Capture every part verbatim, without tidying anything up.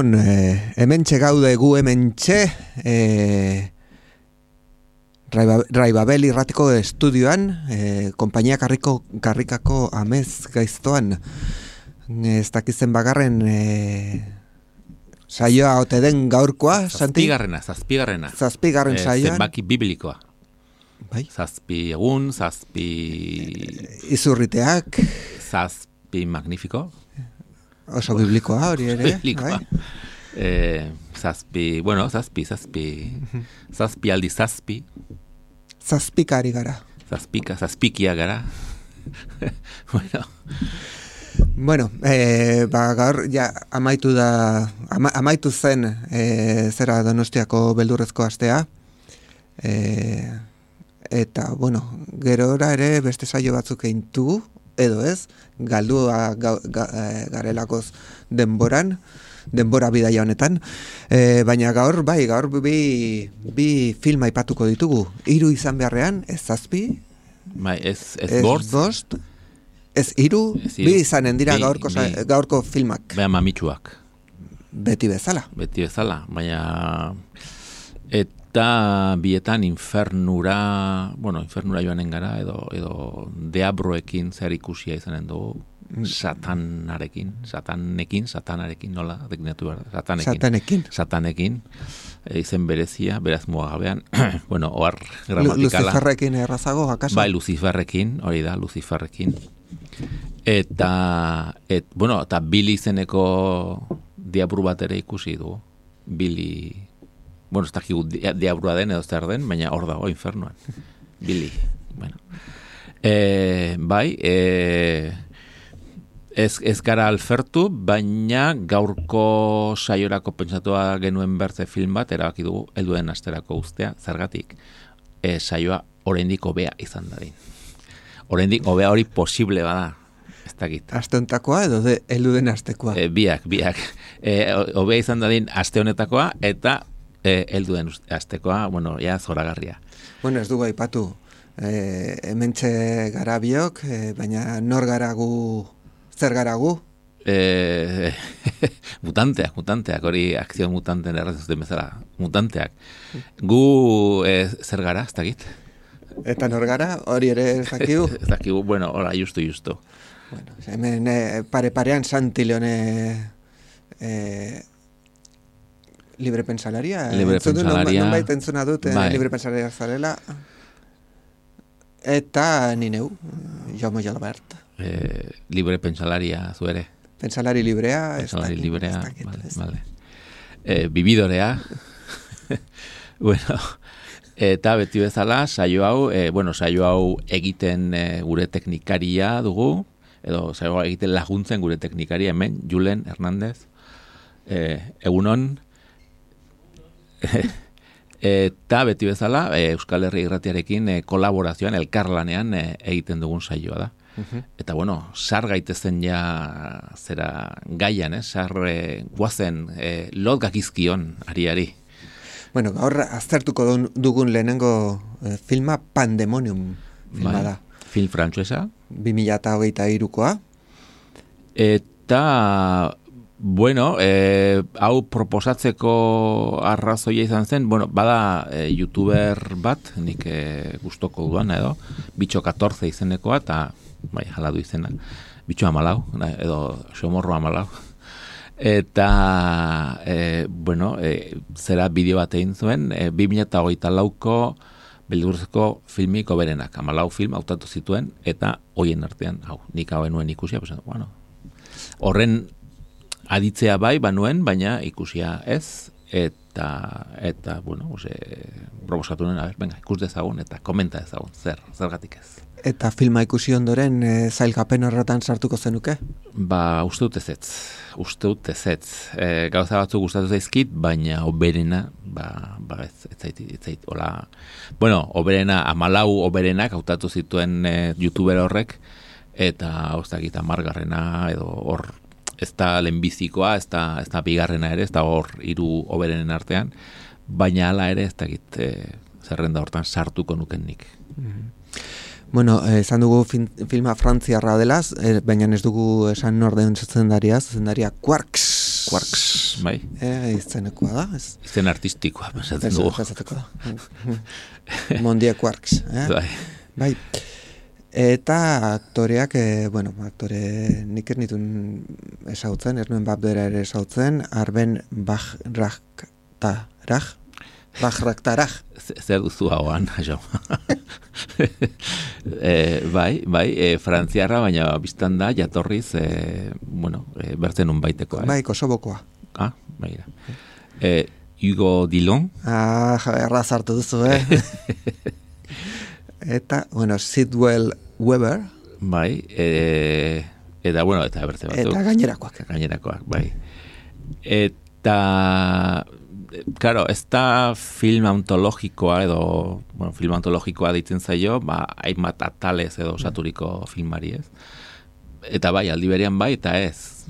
Egunon, eh, hementxe gaude gu hementxe, eh, Raibabel irratiko estudioan, eh, kompainia karriko, karrikako amez gaiztoan, ez dakizen bagarren eh, saioa ote den gaurkoa, Santi? Zazpigarrena, zazpigarrena. Zazpigarren eh, saioan. Zenbaki biblikoa. Bai? Zazpi egun, zazpi... Izurriteak. Zazpi magnifiko. Oso biblikoa hori ere. Biblikoa. Bai? Eh, zazpi, bueno, zazpi, zazpi. Zazpi aldi zazpi. Zazpikari gara. Zazpika, zazpikia gara. Bueno. Bueno, eh, ba, gaur, ja, amaitu da, ama, amaitu zen, eh, zera Donostiako beldurrezko astea. Eh, eta, bueno, gerora ere beste saio batzuk eintu, edo ez, galdua ga, ga, garelakoz denboran, denbora bidaia honetan, e, baina gaur, bai, gaur bi, bi film aipatuko ditugu, hiru izan beharrean, ez zazpi, Bai, ez, ez, ez bortz, bost, ez hiru, Ez hiru. bi izanen dira Bi, gaurko, bi. gaurko filmak, beha mamitsuak. beti bezala. Beti bezala, baina... Eta bietan infernura, bueno, infernura joanen gara, edo, edo deabroekin zer ikusia izanen dugu, satanarekin, satanekin, satanarekin, nola, deklinatu behar, satanekin. Satanekin. Satanekin, e, izen berezia, beraz mugagabean, bueno, ohar gramatikala. Luciferrekin errazago, akaso? Bai, Luciferrekin, hori da, Luciferrekin. Eta, et, bueno, eta Billy izeneko diabru bat ere ikusi dugu. Billy... Bueno, ez dakigu diabrua den edo zer den, baina hor dago infernuan. Billy. Bueno. E, bai, e, ez, ez gara alfertu, baina gaurko saiorako pentsatua genuen bertze film bat, erabaki dugu, helduen asterako ustea, zergatik, e, saioa oraindik hobea izan dadin. Oraindik hobea hori posible bada. Ez dakit. Asteontakoa edo de helduen astekoa? E, biak, biak. E, hobea izan dadin aste honetakoa, eta E, helduen astekoa, bueno, ja zoragarria. Bueno, ez dugu aipatu. E, hementxe gara biok, e, baina nor gara gu, zer gara gu? E, mutanteak, mutanteak, hori akzio mutanten errazuzten bezala. Mutanteak. Gu e, zer gara, ez dakit? Eta nor gara, hori ere ez dakigu? Ez dakigu, bueno, hola, justu, justu. Bueno, hemen e, pare-parean Santi Leone... E, Libre pensalaria. Libre pensalaria. Non baita entzuna dut, bai. Libre pensalaria zarela. Eta ni neu, Jaume Jalbert. Eh, libre pensalaria zu ere. Pensalari librea. Pensalari ez librea, dakit, vale, ez vale. Eh, bibidorea. Bueno, eta beti bezala, saio hau, eh, bueno, saio hau egiten eh, gure teknikaria dugu, edo saio hau egiten laguntzen gure teknikaria hemen, Julen Hernández. Eh, egunon, eta beti bezala e, Euskal Herri Irratiarekin e, kolaborazioan, elkarlanean e, egiten dugun saioa da. Uh-huh. Eta bueno, sar gaitezen ja zera gaian, eh? Sar e, guazen e, lot gakizkion ariari. Bueno, gaur aztertuko dugun lehenengo e, filma Pandemonium filma bai, da. Film frantsuesa. bi mila hogeita hirukoa. Eta... Bueno, eh, hau proposatzeko arrazoia izan zen, bueno, bada eh, youtuber bat, nik eh, gustoko duan edo, Bitxo catorce izenekoa, eta bai, hala du izena, Bitxo amalau, edo Xomorro amalau. Eta, eh, bueno, eh, zera bideo bat egin zuen, eh, bi mila hogeita lauko beldurrezko filmik oberenak, amalau film hautatu zituen, eta hoien artean, hau, nik hau enuen ikusia, pues, bueno, horren aditzea bai, banuen, baina ikusia ez, eta, eta bueno, ose, proposatu nuen, a ber, venga, ikus dezagun, eta komenta dezagun, zer, zergatik ez. Eta filma ikusi ondoren, e, zailkapen horretan sartuko zenuke? Ba, uste dut ezetz, uste dut ezetz. E, gauza batzuk gustatu zaizkit, baina oberena, ba, ba ez, ez zait, ez zait, hola, bueno, oberena, amalau oberenak hautatu zituen e, youtuber horrek, eta, oztakit, amargarrena, edo hor, ez da lehenbizikoa, ez da, ez da bigarrena ere, ez da hor hiru hoberenen artean, baina hala ere ez dakit e, zerrenda hortan sartuko nuken nik. Bueno, esan dugu fin, filma frantziarra dela, e, baina ez dugu esan norden zuzendaria, zuzendaria Quarks. Quarks, bai. E, izenekoa da, ez? Izen artistikoa, pasatzen dugu. Pasatuko da. Mondia Quarks, eh? Bai. Bai. Eta aktoreak, e, bueno, aktore nik ez nituen esautzen, ez nuen babdera ere esautzen, Arben Bajraktaraj, Bajraktaraj. Zer duzu hauan, jo. e, bai, bai, e, frantziarra, baina biztan da, jatorriz, e, bueno, e, bertzen un baiteko. Eh? Bai, Kosobokoa. Ah, bai da. E, Hugo Dillon. Ah, erraz hartu duzu, eh? Eta, bueno, Sidwell Weber. Bai, e, eta, bueno, eta bertze batzuk. Eta gainerakoak. Gainerakoak, bai. Eta, claro, ez da film antologikoa edo, bueno, film antologikoa ditzen zaio, ba, hainbat atalez edo osaturiko filmari, ez? Eta bai, aldi berean bai, eta ez.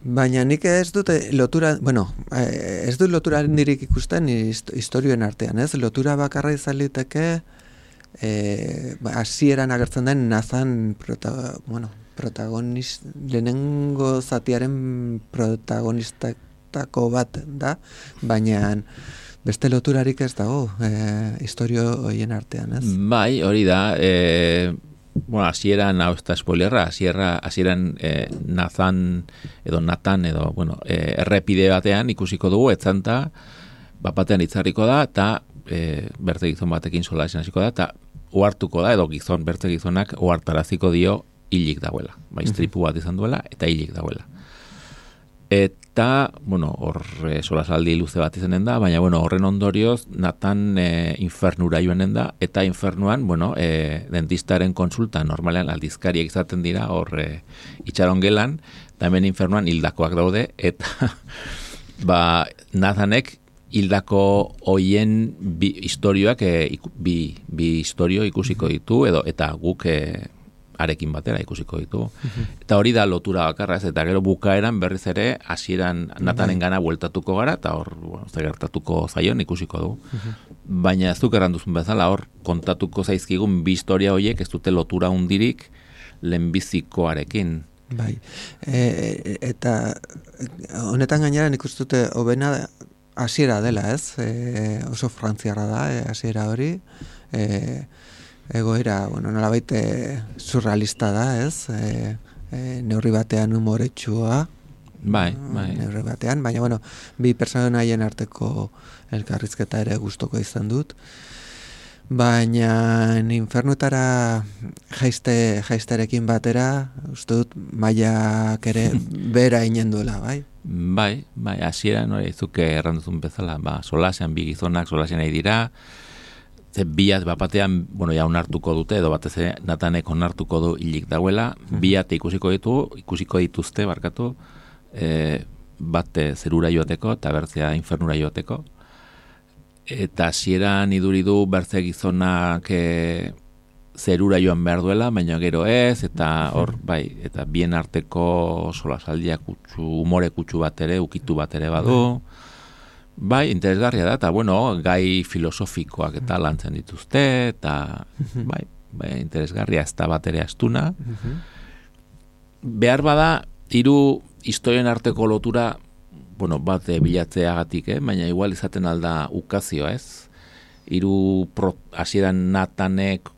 Baina nik ez dute lotura, bueno, ez dut lotura handirik ikusten historioen artean, ez? Lotura bakarra izaliteke, eh, hasieran agertzen den Nathan prota, bueno, protagonist, lehenengo zatiaren protagonistako bat da, baina beste loturarik ez dago, eh, historio horien artean, ez? Bai, hori da, eh, bueno, hasieran, hau ez da spoilerra, hasieran eh, Nathan edo Nathan edo, bueno, eh, errepide batean ikusiko dugu, etzanta, bat batean itzarriko da, eta eh, berte gizon batekin sola esan hasiko da, eta ohartuko da, edo gizon, berte gizonak ohartaraziko dio hilik dagoela. Ba, istripu bat izan duela, eta hilik dagoela. Eta, bueno, hor e, solasaldi luze bat izanen da, baina, bueno, horren ondorioz, Nathan e, infernura joanen da, eta infernuan, bueno, e, dentistaren konsulta, normalean aldizkariak izaten dira, hor e, itxaron gelan, eta hemen infernuan hildakoak daude, eta ba, Nathanek hildako hoien bi historioak, e, iku, bi, bi historio ikusiko ditu, edo eta guk e, arekin batera ikusiko ditu. Uh-huh. Eta hori da lotura bakarra, ez, eta gero bukaeran berriz ere hasieran Nathanen gana bueltatuko gara, eta hor, bueno, ze gertatuko zaion ikusiko du. Uh-huh. Baina ez duk erranduzun bezala, hor kontatuko zaizkigun bi historia horiek ez dute lotura hundirik lehenbizikoarekin. Bai, e, eta honetan gainera nik uste dute hobena hasiera dela, ez? E, oso frantziarra da, e, hasiera hori, e, egoera, bueno, nolabait surrealista da, ez? E, e, neurri batean humoretsua, bai, bai. neurri batean, baina, bueno, bi personaien arteko elkarrizketa ere gustoko izan dut. Baina infernuetara jaiste, jaisterekin batera, uste dut, mailak ere bera inen duela, bai? Bai, bai, hasiera nore izuke erranduzun bezala, ba, solasean bi gizonak solasean nahi dira, ze biat bapatean, bueno, ja onartuko dute, edo batez ere Nathanek onartuko du hilik dagoela, biat ikusiko ditu, ikusiko dituzte, barkatu, e, bat zerura joateko, eta bertzea infernura joateko, eta hasieran iduri du bertze gizonak e, zerura joan behar duela, baina gero ez, eta hor, bai, eta bien arteko solasaldia kutsu, umore kutsu bat ere, ukitu bat ere badu, bai, interesgarria da, eta bueno, gai filosofikoak eta lantzen dituzte, eta bai, bai, interesgarria ez da bat ere astuna. Behar bada, hiru historien arteko lotura, bueno, bat bilatzeagatik, eh? Baina igual izaten alda ukazioa, ez? Hiru hasieran Nathanek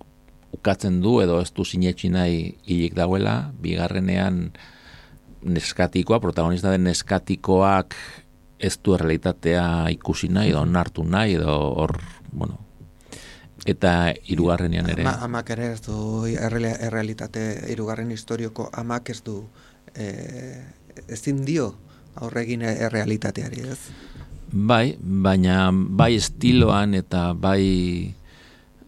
ukatzen du, edo ez du sinetxi nahi hilik dagoela, bigarrenean neskatikoa, protagonista den neskatikoak ez du errealitatea ikusi nahi, edo onartu nahi, edo hor, bueno, eta hirugarrenean ere. Ama, amak ere ez du, errealitate, hirugarren historioko amak ez du, e, ezin dio aurregin errealitateari, ez? Bai, baina bai estiloan eta bai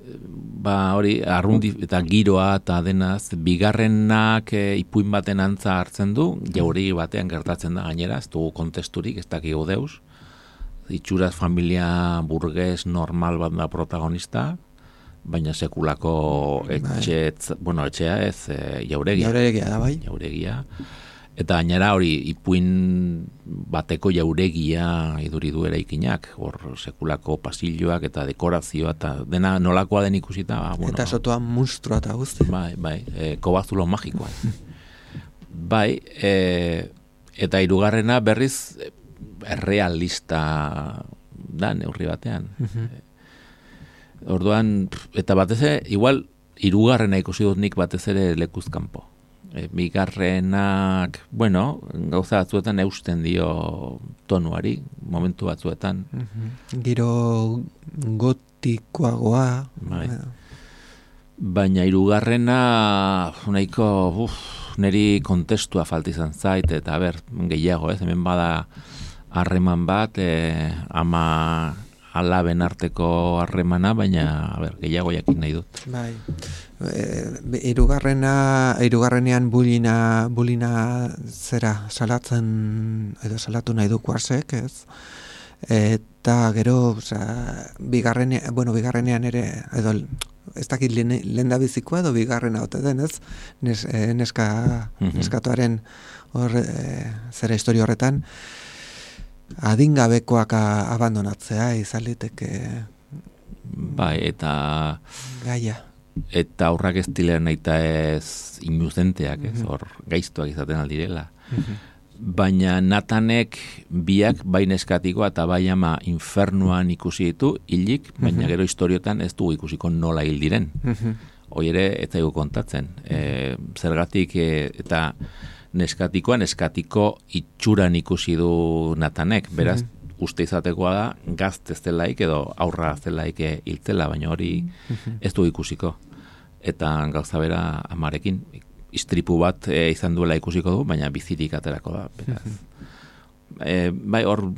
ba hori arrundi eta giroa eta denaz, bigarrenak e, ipuin baten antza hartzen du, jauregi batean gertatzen da gainera, ez dugu kontesturik, ez dakigu deus, itxuraz familia burges normal bat da protagonista, baina sekulako etxe, bueno, etxea ez, e, jauregia. Jauregia da, bai. Jauregia. Eta gainera hori ipuin bateko jauregia iduri du eraikinak, hor sekulako pasilloak eta dekorazioa eta dena nolakoa den ikusita. Ba, bueno, eta sotoa monstrua eta guzti. Bai, bai, e, kobazulo magikoa. Bai, e, eta hirugarrena berriz errealista da neurri batean. Orduan, eta batez ere, igual, hirugarrena ikusi dut nik batez ere lekuz kanpo. E, bigarrenak, bueno, gauza batzuetan eusten dio tonuari, momentu batzuetan. Giro gotikoagoa. Bai. Baina hirugarrena nahiko, uf, neri kontestua falta izan zait, eta ber, gehiago, ez, hemen bada harreman bat, e, ama alaben arteko harremana, baina a ber, gehiago jakin nahi dut. Bai. E, irugarrena, irugarrenean bulina, bulina zera salatzen, edo salatu nahi du kuarsek, ez? Eta gero, osea, bigarrenean, bueno, bigarrenean ere, edo ez dakit lehen da bizikoa edo bigarrena ote den, ez? Nes, e, neska, neskatuaren hor, e, zera historia horretan, adingabekoak abandonatzea izan liteke. Bai, eta gaia. Eta aurrak ez dilean nahi eta ez inuzenteak, ez, hor gaiztuak izaten aldirela. Baina Natanek biak bai neskatikoa eta bai ama infernuan ikusi ditu, hilik, baina gero historiotan ez dugu ikusiko nola hil diren. Hoi ere, ez zaigu kontatzen. E, zergatik e, eta neskatikoa, neskatiko itxuran ikusi du Natanek, beraz, uste izatekoa da, gazte zelaik edo aurra zelaik hiltzela, baina hori ez du ikusiko. Eta gauza bera amarekin, istripu bat e, izan duela ikusiko du, baina bizirik aterako da. Beraz. E, bai, hor,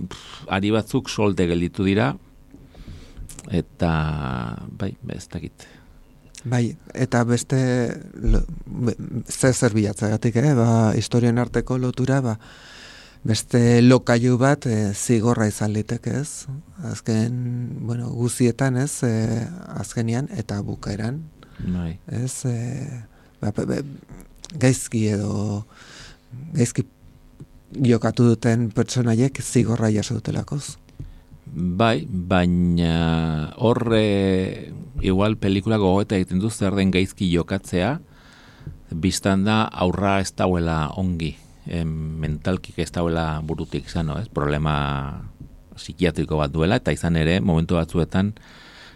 ari batzuk solte gelditu dira, eta, bai, ez dakit. Bai, eta beste zer zer bilatzagatik, eh? Ba, historien arteko lotura, ba, beste lokailu bat e, zigorra izan liteke, ez? Azken, bueno, guzietan, ez? E, azkenian eta bukaeran. Bai. Ez, e, ba, be, gaizki edo gaizki jokatu duten pertsonaiek zigorra jaso dutelakoz. Bai, baina horre igual pelikula gogoeta egiten du zer den gaizki jokatzea, biztan da aurra ez dauela ongi, e, mentalkik ez dauela burutik zano, ez? Problema psikiatriko bat duela, eta izan ere, momentu batzuetan,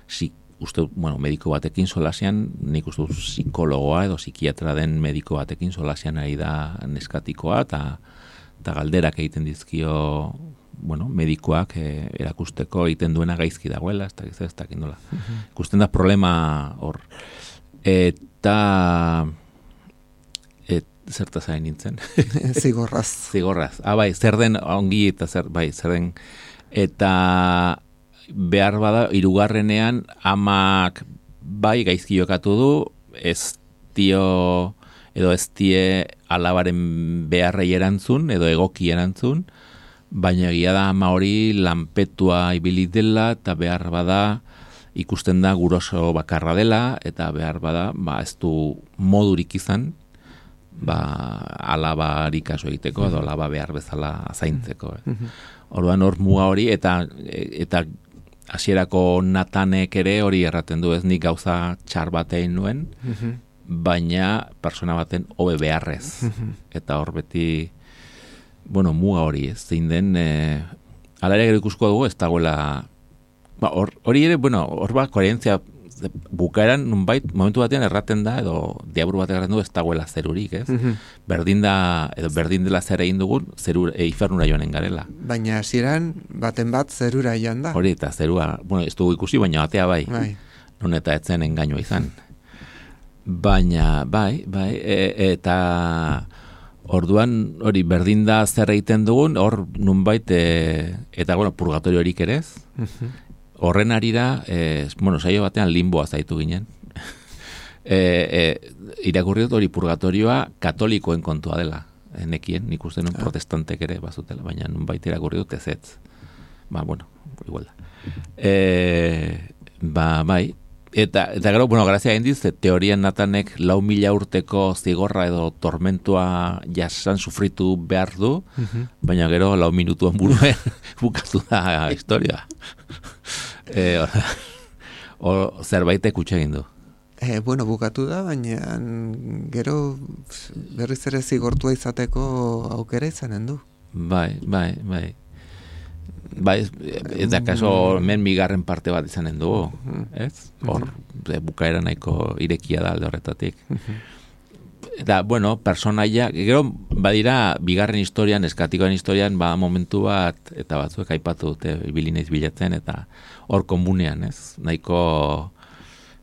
si, uste, bueno, mediko batekin solasian, nik uste psikologoa edo psikiatra den mediko batekin solasian ari da neskatikoa, eta eta galderak egiten dizkio, bueno, medikoak eh, erakusteko egiten duena gaizki dagoela, ez dakiz ez dakin nola. Ikusten da problema hor. Eta et, zertaz hain nintzen? Zigorraz. Zigorraz. Ah, bai, zer den ongi eta zer, bai, zer den. Eta behar bada, hirugarrenean amak bai gaizki jokatu du, ez dio edo ez die alabaren beharrei erantzun, edo egoki erantzun, baina egia da ama hori lanpetua ibili dela, eta behar bada ikusten da guroso bakarra dela, eta behar bada ba, ez du modurik izan, ba, alabarik kaso egiteko, edo alaba behar bezala zaintzeko. Eh. Orduan hor muga hori, eta eta hasierako Natanek ere hori erraten du, ez nik gauza txar batein nuen, baina persona baten hobe beharrez. Eta hor beti, bueno, muga hori, ez zein den, e, ala ere gero ikusko dugu, ez dagoela, ba, hor, hori ere, bueno, hor ba, koherentzia, bukaeran, nunbait, momentu batean erraten da, edo diaburu bat erraten du, ez dagoela zerurik, ez? Berdin da, edo berdin dela zer egin dugun, zerur, e, infernura joanen garela. Baina hasieran baten bat zerura joan da. Hori, eta zerua, bueno, ez dugu ikusi, baina batea bai, bai. Non eta etzen engainua izan. Baina, bai, bai, e, eta orduan hori berdin da zer egiten dugun, hor nunbait, e, eta bueno, purgatorio horik ere ez. Horren arira, e, bueno, saio batean limboa zaitu ginen. e, e, irakurri dut hori purgatorioa katolikoen kontua dela. Nekien, nik uste nun protestantek ere bazutela, baina nunbait irakurri dut ez ez. Ba, bueno, igual da. E, ba, bai, Eta, eta gero, bueno, grazia indiz, teorian Natanek lau mila urteko zigorra edo tormentua jasan sufritu behar du, baina gero lau minutuan buruen bukatu da historia. e, o, o, zerbaitek utxe egin du. E, bueno, bukatu da, baina gero berriz ere zigortua izateko aukera izanen du. Bai, bai, bai. Ba, ez, ez da kaso men bigarren parte bat izanen dugu, ez? Hor, bukaera nahiko irekia da alde horretatik. Eta, bueno, personaia, gero, badira, bigarren historian, eskatikoan historian, ba, momentu bat, eta batzuek aipatu dute, bilineiz bilatzen, eta hor komunean, ez? Nahiko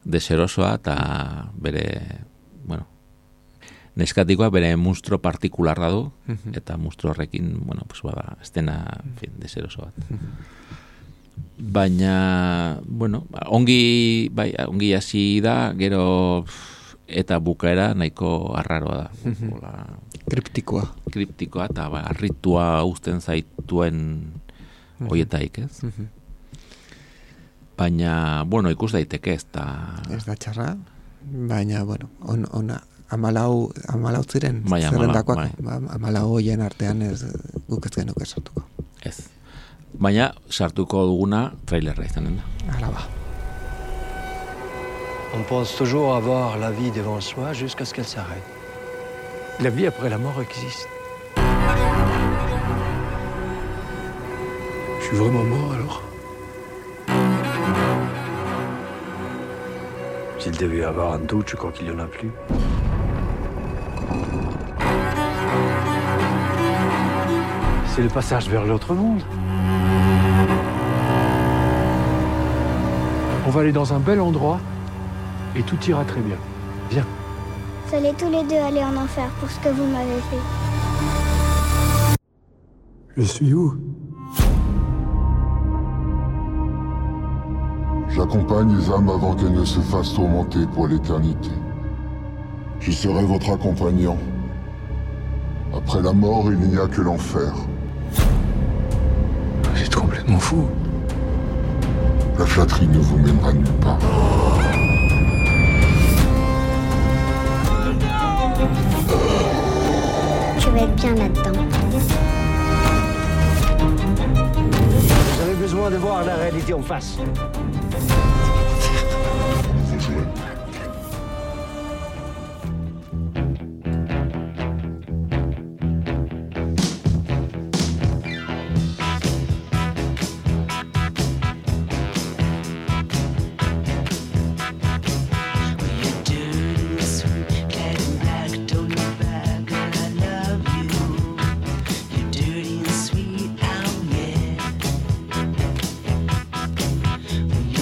deserosoa, eta bere, bueno, neskatikoa bere monstruo partikularra du, eta monstruo horrekin, bueno, pues bada, estena, en fin, deseroso bat. Baina, bueno, ongi, bai, ongi hasi da, gero, eta bukaera nahiko arraroa da. Ola, kriptikoa. Kriptikoa, eta ba, arritua uzten zaituen hoietaik, ez? Baina, bueno, ikus daiteke ez da... Ez da txarra, baina, bueno, on, ona, amalau, amalau ziren, bai, zerrendakoak, bai. Amalau hoien artean ez guk ez genuke sartuko. Ez. Baina, sartuko duguna trailerra izanen da. Hala ba. On pense toujours avoir la vie devant soi jusqu'à ce qu'elle s'arrête. La vie après la mort existe. Je suis vraiment mort alors? S'il devait y avoir un doute, je crois qu'il n'y en a plus. C'est le passage vers l'autre monde. On va aller dans un bel endroit et tout ira très bien. Viens. Vous allez tous les deux aller en enfer pour ce que vous m'avez fait. Je suis où? J'accompagne les âmes avant qu'elles ne se fassent tourmenter pour l'éternité. Je serai votre accompagnant. Après la mort, il n'y a que l'enfer. Vous êtes complètement fou. La flatterie ne vous mènera nulle part. Tu vas être bien là-dedans. Vous avez besoin de voir la réalité en face. When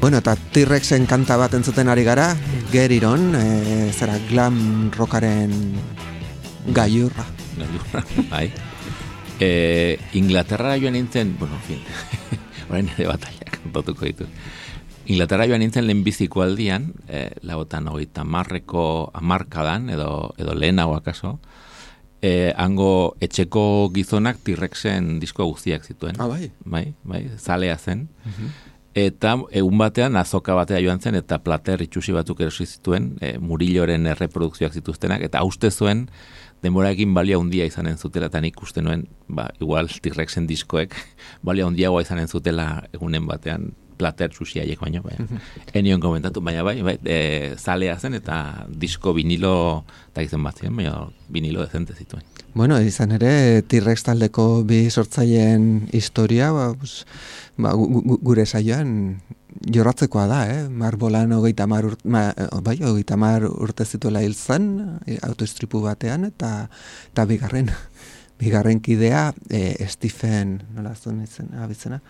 Bueno, eta T-Rexen kanta bat entzuten ari gara, Get It On, e, zera glam rockaren gailurra. Gailurra, bai. E, Inglaterra joan nintzen, bueno, en fin, orain ere batalla kantatuko ditu. Inglaterra joan nintzen lehenbiziko aldian, e, lautan hogeita marreko amarkadan, edo, edo lehenago akaso, e, hango etxeko gizonak T-Rexen disko guztiak zituen. Ah, bai? Bai, bai, zalea zen. Uh-huh. Eta egun batean azoka batea joan zen, eta plater itxusi batzuk erosi zituen, e, Murilloren erreprodukzioak zituztenak, eta uste zuen, denboraekin balia handia izanen zutela, eta nik uste nuen, ba, igual T-Rexen diskoek, balia handiagoa izanen zutela egunen batean, plater txusiaiek baino, baina, enion komentatu, baina bai, bai, e, zalea zen, eta disko vinilo, eta izan bat ziren, baina vinilo dezente zituen. Bueno, izan ere, T-Rex taldeko bi sortzaileen historia, ba, pues, ba, gu, gu, gure saioan jorratzekoa da, eh? Marbolan hogeita mar urte, ma, bai, hogeita mar urte zituela hil zen, autoistripu batean, eta, eta bigarren, bigarren kidea, e, Stephen, nola zuen izan, abitzena,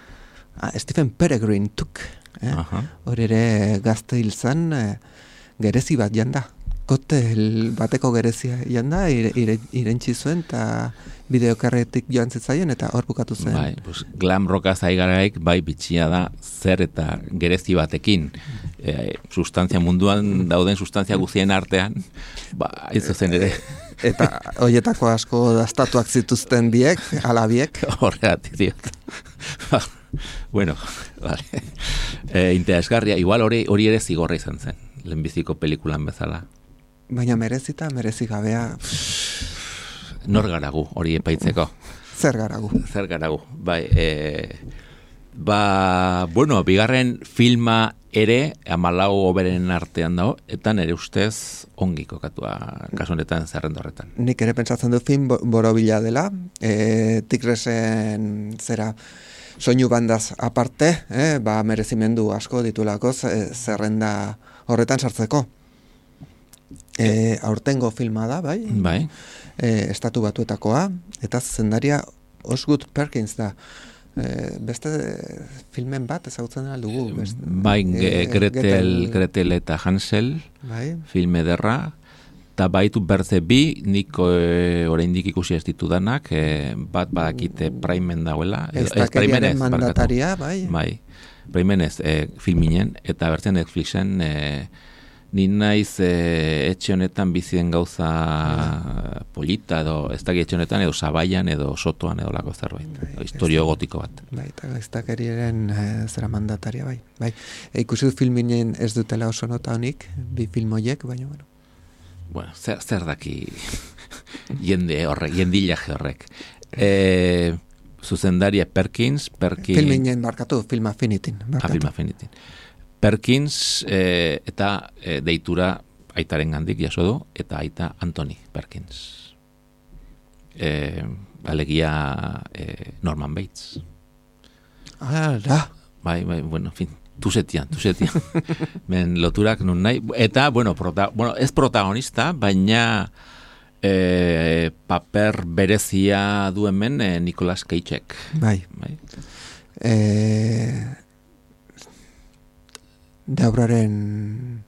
ah, Stephen Peregrine tuk, eh? Hor ere gazte hil zen, e, gerezi bat janda. Kotel bateko gerezia janda, ire, ire, irentzi zuen, eta bideokarretik joan zitzaien, eta hor bukatu zen. Bai, pues, glam rocka zaigaraik, bai, bitxia da, zer eta gerezi batekin. E, sustantzia munduan dauden sustantzia guztien artean, ba, ez zen ere. Eta hoietako asko dastatuak zituzten biek, alabiek. Horregatik diot. Bueno, vale. E, interesgarria, igual hori, hori ere zigorra izan zen, lehenbiziko pelikulan bezala. Baina merezita, merezi gabea. Nor garagu, hori epaitzeko. Zer garagu. Zer garagu, bai. E, ba, bueno, bigarren filma ere, amalau oberen artean dago, eta nire ustez ongi kokatua kasu honetan zerrendo horretan. Nik ere pentsatzen du film borobila dela, e, T-Rexen zera soinu bandaz aparte, eh, ba, merezimendu asko ditulako zerrenda horretan sartzeko. E, aurtengo filma da, bai? Bai. E, estatu batuetakoa, eta zendaria Osgood Perkins da. E, beste filmen bat ezagutzen aldugu. Beste, bai, e, Gretel, Gretel, Gretel eta Hansel, bai. Film ederra, eta baitu berze bi, nik e, oraindik ikusi ez ditudanak, e, bat badakite Primen dagoela. Ez dakeriaren mandataria, bai. Bai, Primenez e, filminen, eta bertzen Netflixen e, ni naiz e, etxe honetan bizien gauza ja. Polita edo ez daki etxe honetan edo Zabaian edo Sotoan edo lako zerbait. Bai, historio gotiko bat. Bai, eta ez dakeriaren e, zera mandataria, bai. bai. E, ikusi dut filminen ez dutela oso nota honik, bi filmoiek, baina, bueno. Bueno, zer, zer daki jende horrek, jendilaje horrek. E, zuzendaria Perkins, Perkins... Filminen barkatu, Film Affinitin. Ah, Film Affinitin. Perkins e, eta e, deitura aitaren gandik jaso du, eta aita Anthony Perkins. E, alegia e, Norman Bates. Ah, da. Bai, bai, bueno, en fin, tuzetian, tuzetian. Men loturak nun nahi. Eta, bueno, prota, bueno ez protagonista, baina e, paper berezia duen men e, Nicolas Cageek. Bai. Bai. Eh... Deauraren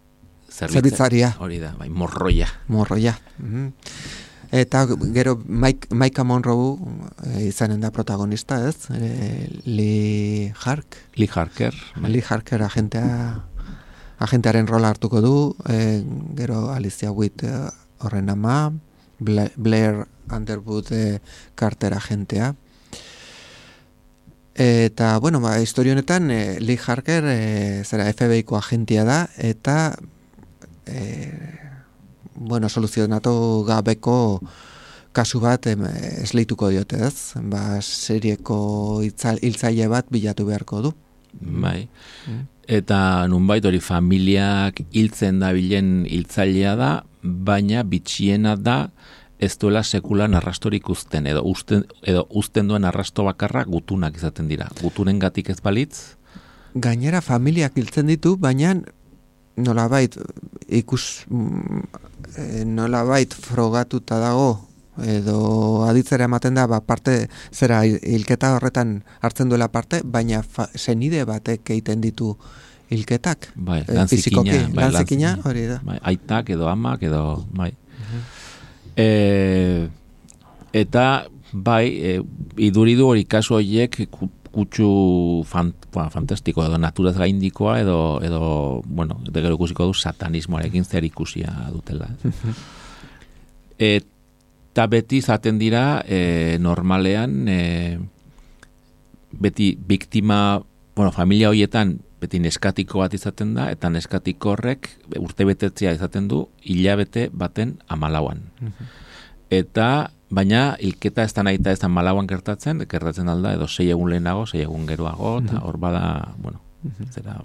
zerbitzaria. Hori da, bai, morroia. Morroia. Mm-hmm. Eta gero Mike, Micah Monroe e, izanen da protagonista, ez? E, Lee Hark. Lee Harker. Bai. Lee Harker agentea, agentearen rola hartuko du, e, gero Alicia Witt e, horren ama, Bla, Blair Underwood e, Carter agentea. Eta, bueno, ba, historio honetan, e, Lee Harker, e, zera, F B I-ko agentia da, eta, e, bueno, soluzionatu gabeko kasu bat em, esleituko diote, ez? Ba, serieko hiltzaile bat bilatu beharko du. Bai. Mm. Eta nunbait hori familiak hiltzen dabilen hiltzailea da, baina bitxiena da, ez duela sekulan arrastorik uzten, edo uzten, edo uzten duen arrasto bakarra gutunak izaten dira. Gutunen gatik ez balitz? Gainera familiak hiltzen ditu, baina nolabait ikus nolabait frogatuta dago, edo aditzera ematen da, ba, parte, zera hilketa horretan hartzen duela parte, baina fa, senide batek egiten ditu hilketak. Bai, E, lan fizikoki, zikina, bai, lan lan zikina, zikina. hori da. Bai, aitak edo amak edo, bai. E, eta, bai, e, iduridu hori kasu horiek kutsu fan, ba, fantastiko edo naturaz gaindikoa edo, edo bueno, eta gero ikusiko du satanismoarekin zer ikusia dutela. Eta beti zaten dira e, normalean e, beti biktima, bueno, familia horietan beti neskatiko bat izaten da, eta neskatiko horrek urte betetzea izaten du hilabete baten amalauan. Eta, baina, hilketa ez da nahi eta ez da malauan gertatzen, gertatzen alda, edo sei egun lehenago, sei egun geroago, eta hor bada, bueno, zera,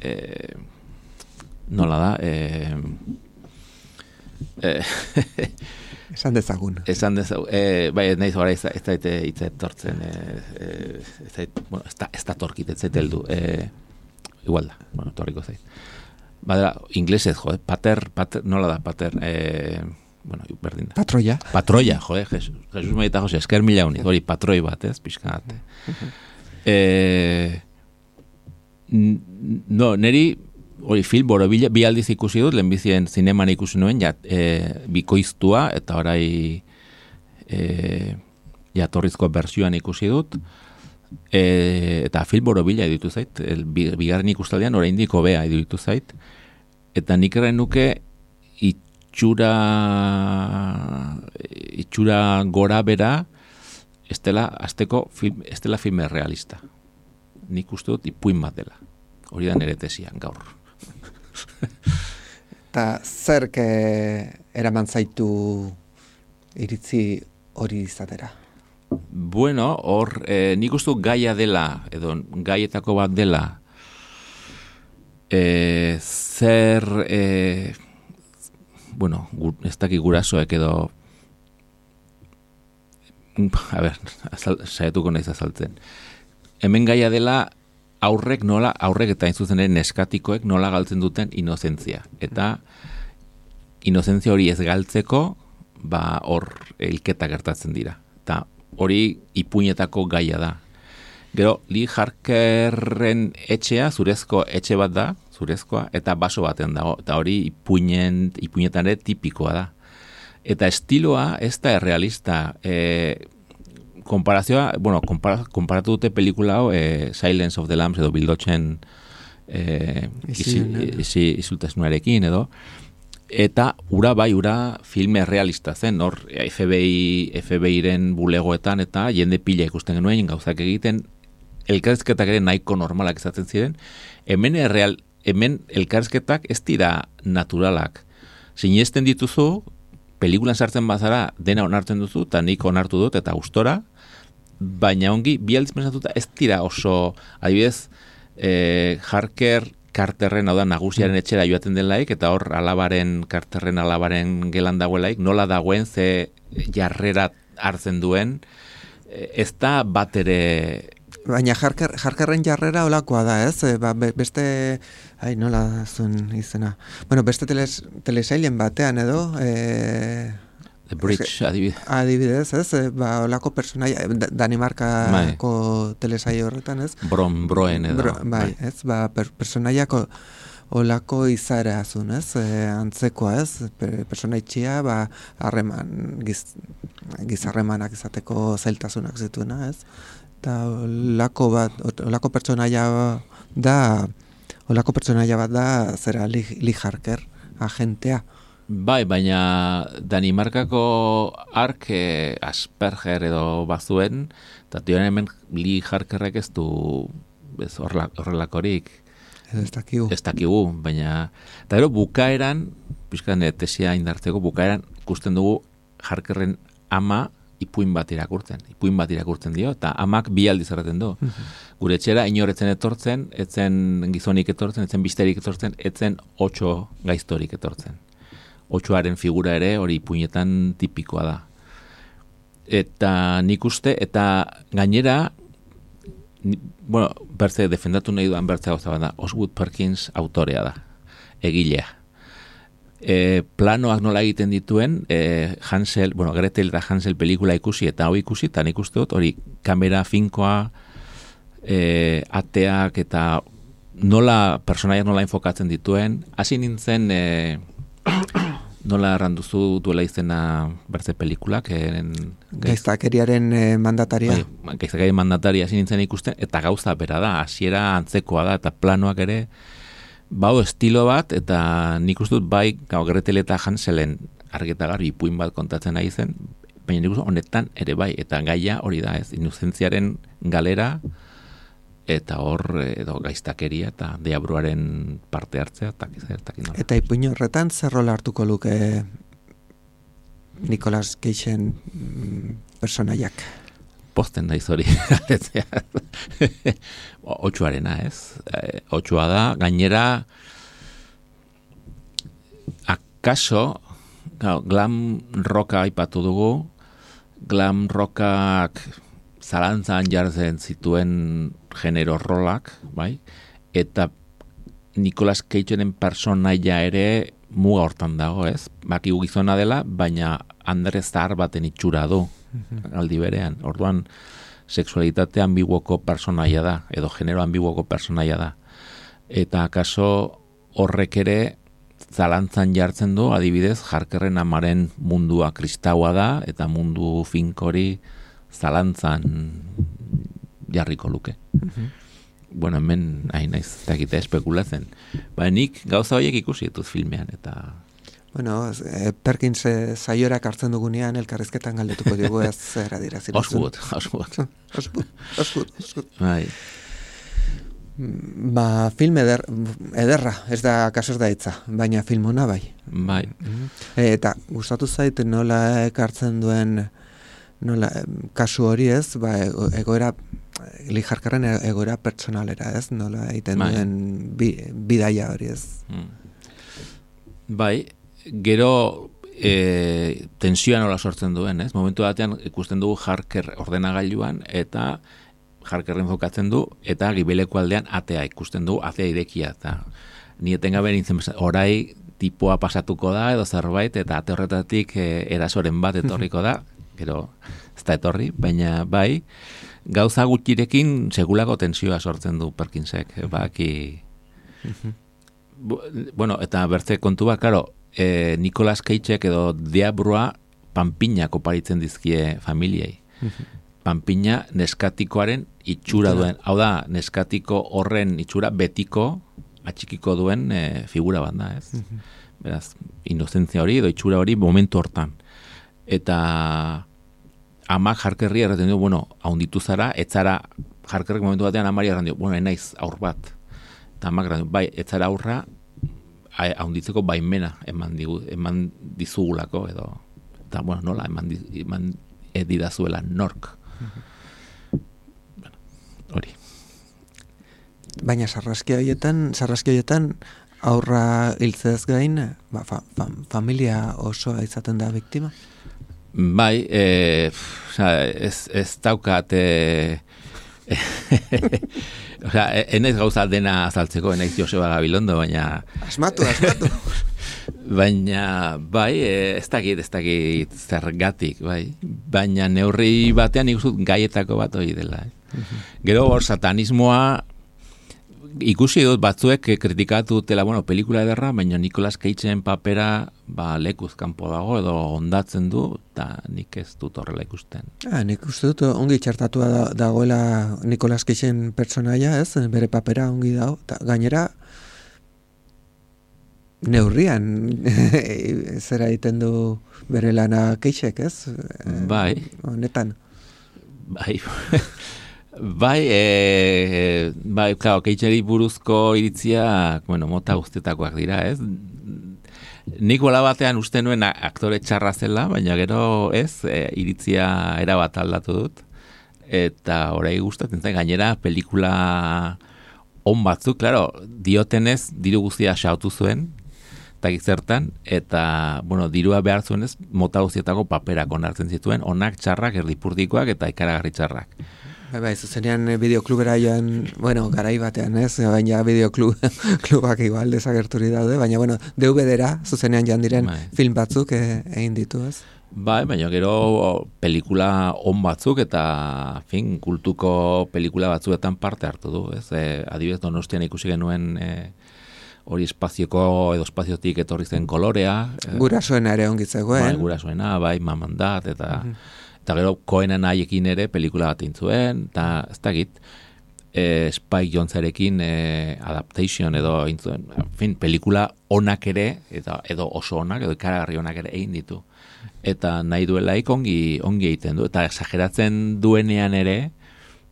e, nola da, e, e, Esan dezagun. Esan dezagun, e, bai, ez nahiz gara ez da hitz etortzen, e, e, ez da, bueno, ez da, ez da torkit, ez zait heldu, e, igual da, bueno, torriko zait. Badera, inglesez, jo, pater, pater, nola da, pater, e, bueno, berdin da. Patroia. Patroia, jo, Jesus, Jesus Medita Jose, esker mila unik, hori patroi bat, ez, pixka bat. E, no, neri, hori film borobila, bi aldiz ikusi dut, lehenbizien zineman ikusi nuen, ja, e, bikoiztua, eta orai e, jatorrizko bertsioan ikusi dut, e, eta film borobila editu zait, el, bigarren ikustaldean oraindik hobea editu zait, eta nik erren nuke itxura itxura gora bera estela, azteko film, estela filme realista. Nik uste dut ipuin bat dela. Hori da nire tesian gaur. Eta zerk eraman zaitu iritzi hori izatera? Bueno, hor, eh, nik uste dut gaia dela, edo gaietako bat dela, eh, zer, eh, bueno, gu, ez dakik gurasoek edo, a ber, saietuko naiz azaltzen. Hemen gaia dela, aurrek nola, aurrek eta inzuzen ere neskatikoek nola galtzen duten inozentzia. Eta inozentzia hori ez galtzeko, ba hor hilketa gertatzen dira. Eta hori ipuinetako gaia da. Gero, Lee Harkerren etxea, zurezko etxe bat da, zurezkoa, eta baso baten dago. Eta hori ipuinen, ipuinetan ere tipikoa da. Eta estiloa ez da errealista. E, Konparazioa, bueno, kompara, komparatu dute pelikula hau, eh, Silence of the Lambs edo Bildotxen eh, isiltasunarekin edo, eta ura bai, ura filme realista zen, hor F B I, F B I-ren bulegoetan eta jende pila ikusten genuen, gauzak egiten, elkarrizketak ere nahiko normalak izaten ziren, hemen, erreal, hemen elkarrizketak ez dira naturalak. Sinesten dituzu, pelikulan sartzen bazara, dena onartzen duzu, eta nik onartu dut, eta gustora, baina ongi, bi aldiz pensatuta ez dira oso, adibidez, eh, Harker Carterren, hau da, nagusiaren etxera joaten delaik, eta hor alabaren, Carterren alabaren gelan dagoelaik, nola dagoen, ze jarrera hartzen duen, ez da bat ere... Baina Harker, Harkerren jarrera olakoa da, ez? E, ba, beste, ai, nola zuen izena. Bueno, beste teles, telesailen batean edo... E, The Bridge, adibidez. Adibidez, ez? E, ba, olako personaia, Danimarkako telesaio horretan, ez? Bron, broen edo. Bro, bai, ez? Ba, per, personaiako olako izara azun, ez? E, antzekoa, ez? Per, personaitxia, ba, harreman, giz, gizarremanak izateko zailtasunak zituena, ez? Eta olako bat, olako pertsonaia da, olako pertsonaia bat da, zera Lee, Lee Harker, agentea. Bai, baina Danimarkako ark eh, Asperger edo bazuen, eta tioen hemen Lee Harkerrek ez du ez horrelakorik. Ez dakigu. Ez dakigu, baina... Eta gero bukaeran, pixkan tesia indartzeko, bukaeran ikusten dugu Harkerren ama ipuin bat irakurtzen. Ipuin bat irakurtzen dio, eta amak bi aldiz erraten du. Gure etxera inoretzen etortzen, etzen gizonik etortzen, etzen bisterik etortzen, etzen otxo gaiztorik etortzen. Otxoaren figura ere hori ipuinetan tipikoa da. Eta nik uste, eta gainera, ni, bueno, bertze defendatu nahi duan bertze gauza bat da, Osgood Perkins autorea da, egilea. E, planoak nola egiten dituen, e, Hansel, bueno, Gretel eta Hansel pelikula ikusi eta hau ikusi, eta nik uste dut, hori kamera finkoa, e, ateak eta nola, personaiak nola enfokatzen dituen, hasi nintzen, e, nola erranduzu duela izena bertze pelikulak, en, gaiztakeriaren e, mandataria. Bai, gaiztakeriaren mandataria hasi nintzen ikusten, eta gauza bera da, hasiera antzekoa da, eta planoak ere, bau estilo bat, eta nik uste dut bai, gau, Gretel eta Hanselen argeta garbi ipuin bat kontatzen nahi zen, baina nik uste honetan ere bai, eta gaia hori da ez, inozentziaren galera, eta hor, edo gaiztakeria, eta deabruaren parte hartzea, eta kizertak inola. Eta ipuin horretan, zer rola hartuko luke Nicolas Cagen mm, personaiak? Posten daiz hori. Otsuarena, ez? E, otsua da, gainera, akaso, glam rocka aipatu dugu, glam rockak zalantzan jartzen zituen genero rolak, bai? Eta Nicolas Cagenen personaia ere muga hortan dago, ez? Bakigu gizona dela, baina Andre zahar baten itxura du, aldi berean. Orduan, sexualitate ambiguoko personaia da, edo genero ambiguoko personaia da. Eta akaso horrek ere zalantzan jartzen du, adibidez, Harkerren amaren mundua kristaua da, eta mundu finkori zalantzan jarriko luke. Uh-huh. Bueno, hemen hain naiz dakite espekulatzen. Ba, nik gauza horiek ikusi dituz filmean, eta... Bueno, eh, Perkins eh, saiorak hartzen dugunean elkarrizketan galdetuko dugu ez zera dira ziren. Osgut, osgut. Osgut, osgut, osgut. Bai. Ba, film eder, ederra, ez da kasos da hitza, baina film ona bai. Bai. E, eta gustatu zait nola ekartzen duen, nola kasu hori ez, ba, egoera, Lee Harkerren egoera pertsonalera ez, nola egiten bai. duen bi, bidaia hori ez. Bai, gero e, tensioa nola sortzen duen, ez? Momentu batean ikusten dugu Harker ordenagailuan eta Harkerren jokatzen du eta gibeleko aldean atea ikusten dugu, atea irekia eta ni etengabe nintzen orai tipoa pasatuko da edo zerbait eta ate horretatik e, erasoren bat etorriko da, gero ez da etorri, baina bai, gauza gutxirekin segulako tensioa sortzen du Perkinsek, baki... Bueno, eta bertze kontu bat, claro, eh, Nicolas Cagek edo diabrua panpinak oparitzen dizkie familiei. Panpina neskatikoaren itxura duen, hau da, neskatiko horren itxura betiko atxikiko duen e, figura bat da, ez? Beraz, inozentzia hori edo itxura hori momentu hortan. Eta amak Harkerri erraten du, bueno, haunditu zara, etzara, Harkerrek momentu batean amari erraten du, bueno, enaiz aur bat. Eta amak erraten du, bai, etzara aurra, haunditzeko baimena eman, digu, eman dizugulako, edo, eta, bueno, nola, eman, eman edidazuela nork. Bueno, hori. Baina sarraski horietan, sarraski horietan aurra hiltzez gain, ba, fa, fa, familia osoa izaten da biktima? Bai, e, ez, ez daukat e, osea, enaiz gauza dena azaltzeko, enaiz Joseba Gabilondo, baina... Asmatu, asmatu. Baina, bai, ez dakit, ez dakit zergatik, bai. Baina neurri batean ikusut gaietako bat hori dela. Eh? Gero hor satanismoa ikusi dut batzuek kritikatu dutela, bueno, pelikula ederra, baina Nicolas Cageen papera ba, lekuz kanpo dago edo ondatzen du, eta nik ez dut horrela ikusten. Ah, nik uste dut ongi txartatua da, dagoela Nicolas Cageen pertsonaia, ez? Bere papera ongi dago, eta gainera neurrian zera egiten du bere lana Cageek, ez? Bai. Honetan. Bai. Bai, e, bai, claro, Cageri buruzko iritzia, bueno, mota guztietakoak dira, ez? Nik bola batean uste nuen aktore txarra zela, baina gero ez, e, iritzia erabat aldatu dut. Eta orai gustatzen zen, gainera, pelikula on batzuk, claro, diotenez, diru guztia xautu zuen, eta gizertan, eta, bueno, dirua behar zuenez, mota guztietako paperak onartzen zituen, onak, txarrak, erdipurdikoak eta ikaragarri txarrak. Bai, bai, zuzenean bideoklubera joan, bueno, garai batean, ez? Baina bideoklubak igual desagerturi daude, baina, bueno, D V D-ra zuzenean joan diren bai. Film batzuk egin ditu, ez? Bai, baina gero pelikula on batzuk eta fin, kultuko pelikula batzuetan parte hartu du, ez? E, adibidez Donostian ikusi genuen e, hori espazioko edo espaziotik etorri zen Kolorea. E, Gurasoena ere ongi zegoen. Bai, gurasoena, bai, Mamandat, eta, Mhm. eta gero Coenen haiekin ere pelikula bat intzuen, eta ez dakit, e, Spike Jonzerekin e, adaptation edo intzuen, fin, pelikula onak ere, eta, edo oso onak, edo ikaragarri onak ere egin ditu. Eta nahi duelaik ongi, ongi egiten du, eta exageratzen duenean ere,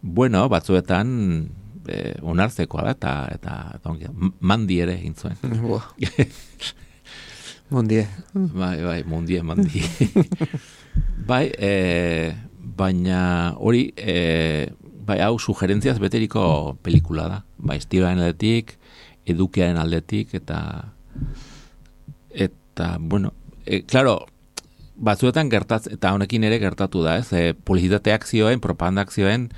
bueno, batzuetan e, onartzekoa da, eta, eta, eta ongi, mandi ere egin zuen. Buah. Mondie. Bai, bai, mundie, mandi. Bai, e, baina hori, e, bai, hau sugerentziaz beteriko pelikula da. Bai, estilaren aldetik, edukiaren aldetik, eta, eta, bueno, e, claro, batzuetan gertatz, eta honekin ere gertatu da, ez? E, publizitate akzioen, propaganda akzioen,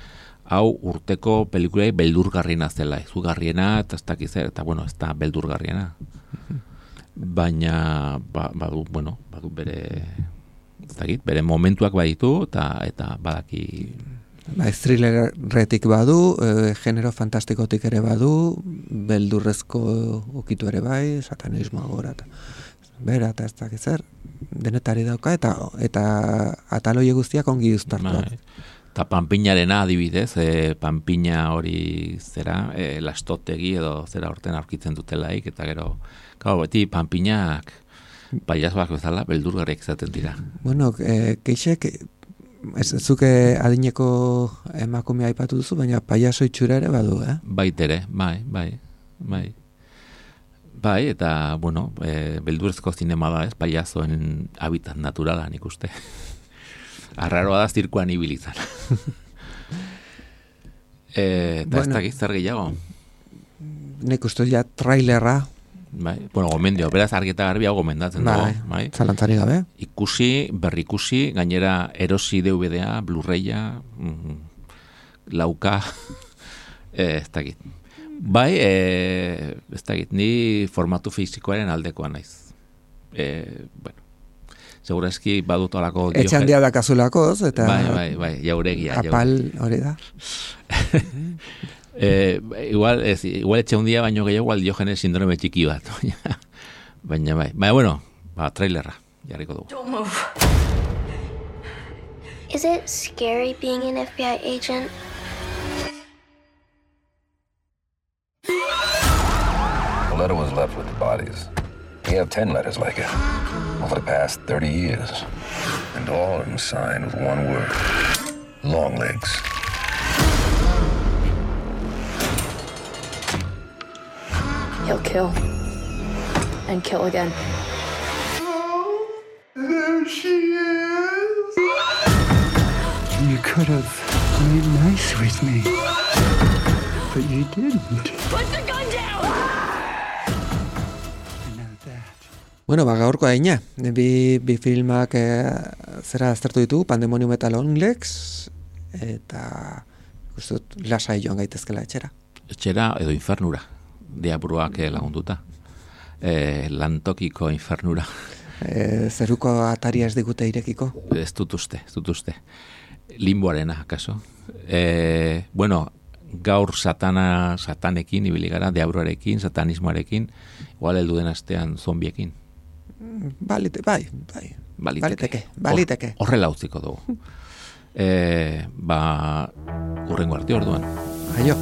hau urteko pelikulei beldurgarriena zela, izugarriena, eta ez dakiz, eta bueno, ez da beldurgarriena. Baina, ba, badu, bueno, badu bere, ez dakit, bere momentuak baditu, eta, eta badaki... Ba, thrillerretik badu, e, genero fantastikotik ere badu, beldurrezko ukitu ere bai, satanismoa gora, eta bera, eta ez dakiz zer, denetari dauka, eta eta ataloie guztiak ongi uztartuak. Bai. Eta panpinarena adibidez, e, panpina hori zera, e, lastotegi edo zera horten aurkitzen dutelaik, eta gero, gau, beti panpinak paiazoak bezala beldurgarriak izaten dira. Bueno, e, keixek, ez zuke adineko emakumea aipatu duzu, baina paiazo itxura ere badu, eh? Baitere, bai, bai, bai. Bai, eta, bueno, e, beldurrezko zinema da, ez, paiazoen habitat naturala, nik uste. Arraroa da zirkuan ibilizan. e, eta Bueno. ez dakiz zer gehiago. Nik uste ja trailerra, Bai, bueno, gomendio, beraz argi eta garbi hau gomendatzen bai, dugu, bai. zalantzari gabe. Ikusi, berrikusi, gainera erosi D V D-a, Blu-raya, mm, lauka, e, ez dakit. Bai, e, ez dakit, ni formatu fizikoaren aldekoa naiz. E, bueno, segurazki badut olako... Etxe handia dakazulakoz, eta Bai, bai, bai, jauregia. apal hori da. Eh, igual, ez, igual etxe hundia baino gehiago igual Diogenes sindrome txiki bat. Baina bai. Baina, bueno, ba, trailerra, jarriko dugu. Don't move. Is it scary being an F B I agent? The letter was left with the bodies. We have ten letters like it over the past thirty years. And all of them signed with one word. Long legs. He'll kill. And kill again. There she is. You could have played nice with me, but you didn't. Put the gun down! I know that. Bueno, ba, gaurko aina. Bi, bi filmak e, zera aztertu ditugu, Pandemonium eta Longlegs, eta uste dut lasai joan gaitezkela etxera. Etxera edo infernura, diabruak lagunduta. E, lantokiko infernura. E, zeruko ataria ez digute irekiko. Ez dut uste, ez dut uste. Limboarena, akaso. E, bueno, gaur satana, satanekin, ibili gara, diabruarekin, satanismoarekin, igual heldu den astean zombiekin. Balite, bai, bai. Baliteke. Baliteke, baliteke. Hor- Horrela utziko dugu. E, ba, urrengo arte orduan. Aio.